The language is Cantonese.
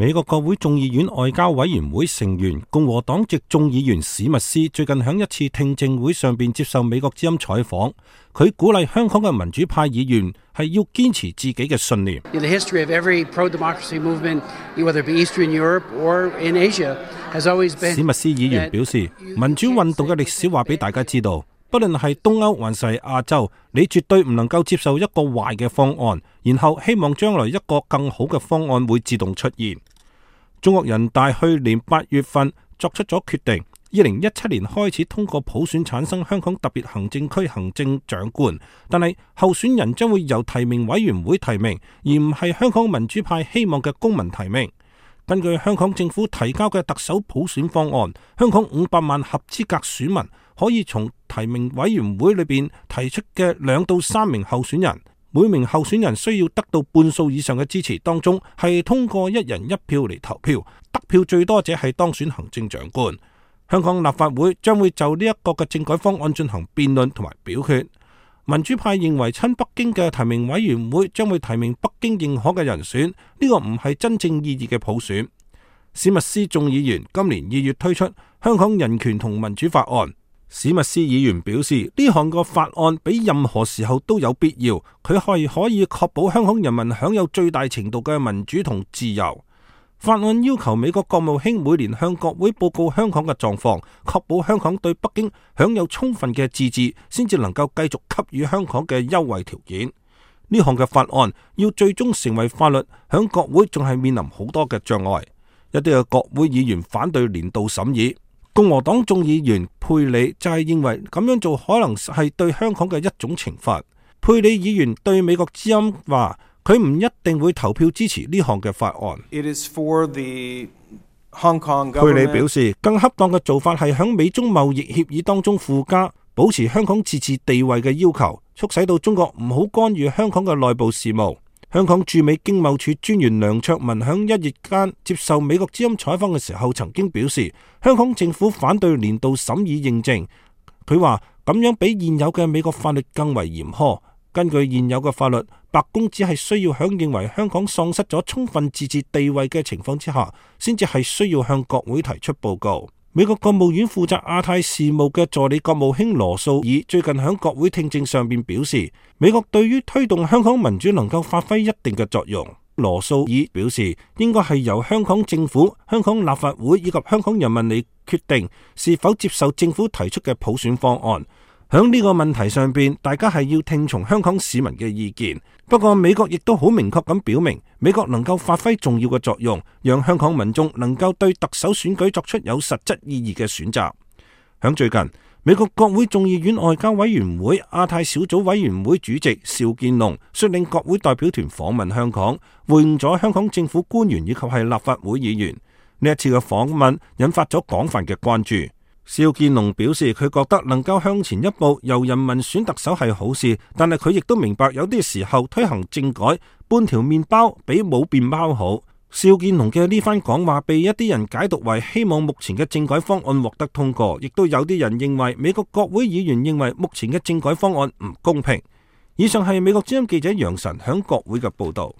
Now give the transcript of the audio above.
美國國會眾議院外交委員會成員共和黨籍眾議員史密斯最近喺一次聽證會上邊接受美國之音採訪，佢鼓勵香港嘅民主派議員係要堅持自己嘅信念。史密斯議員表示，民主運動嘅歷史話俾大家知道，不論係東歐還是亞洲，你絕對唔能夠接受一個壞嘅方案，然後希望將來一個更好嘅方案會自動出現。中國人大去年8月份作出咗決定，2017年開始通過普選產生香港特別行政區行政長官，但係候選人將會由提名委員會提名，而唔係香港民主派希望嘅公民提名。根據香港政府提交嘅特首普選方案，香港500萬合資格選民可以從提名委員會裏邊提出嘅2到3名候選人，每名候選人需要得到半數以上嘅支持，當中係通過1人1票嚟投票，得票最多者係當選行政長官。香港立法會將會就呢一個嘅政改方案進行辯論同埋表決。民主派認為親北京嘅提名委員會將會提名北京認可嘅人選，呢個唔係真正意義嘅普選。史密斯眾議員今年2月推出香港人權同民主法案。史密斯議員表示，呢項個法案比任何時候都有必要，佢係可以確保香港人民享有最大程度嘅民主同自由。法案要求美國國務卿每年向國會報告香港嘅狀況，確保香港對北京享有充分嘅自治，先至能夠繼續給予香港嘅優惠條件。呢項嘅法案要最終成為法律，響國會仲係面臨好多嘅障礙。一啲嘅國會議員反對年度審議，共和黨眾議員佩里就係認為咁樣做可能係對香港嘅一種懲罰。佩里議員對美國之音話，佢唔一定會投票支持呢項嘅法案。佩里表示，更恰當嘅做法係響美中貿易協議當中附加保持香港自治地位嘅要求，促使到中國唔好干預香港嘅內部事務。香港駐美經貿處專員梁卓文響1月間接受美國之音採訪嘅時候，曾經表示，香港政府反對年度審議認證。佢話咁樣比現有嘅美國法律更為嚴苛。根據現有嘅法律，白宮只係需要響認為香港喪失咗充分自治地位嘅情況之下，先至係需要向國會提出報告。美國國務院負責亞太事務嘅助理國務卿羅素爾最近喺國會聽證上面表示，美國對於推動香港民主能夠發揮一定嘅作用。羅素爾表示，應該係由香港政府、香港立法會以及香港人民嚟決定是否接受政府提出嘅普選方案。響呢個問題上邊，大家係要聽從香港市民嘅意見。不過美國亦都好明確咁表明，美國能夠發揮重要嘅作用，讓香港民眾能夠對特首選舉作出有實質意義嘅選擇。響最近，美國國會眾議院外交委員會亞太小組委員會主席邵建龍率領國會代表團訪問香港，會晤咗香港政府官員以及係立法會議員。呢一次嘅訪問引發咗廣泛嘅關注。邵建龍表示，佢覺得能夠向前一步，由人民選特首係好事，但係佢亦都明白有啲時候推行政改，半條麵包比冇麵包好。邵建龍嘅呢番講話被一啲人解讀為希望目前嘅政改方案獲得通過，亦都有啲人認為美國國會議員認為目前嘅政改方案唔公平。以上係美國之音記者楊晨響國會嘅報道。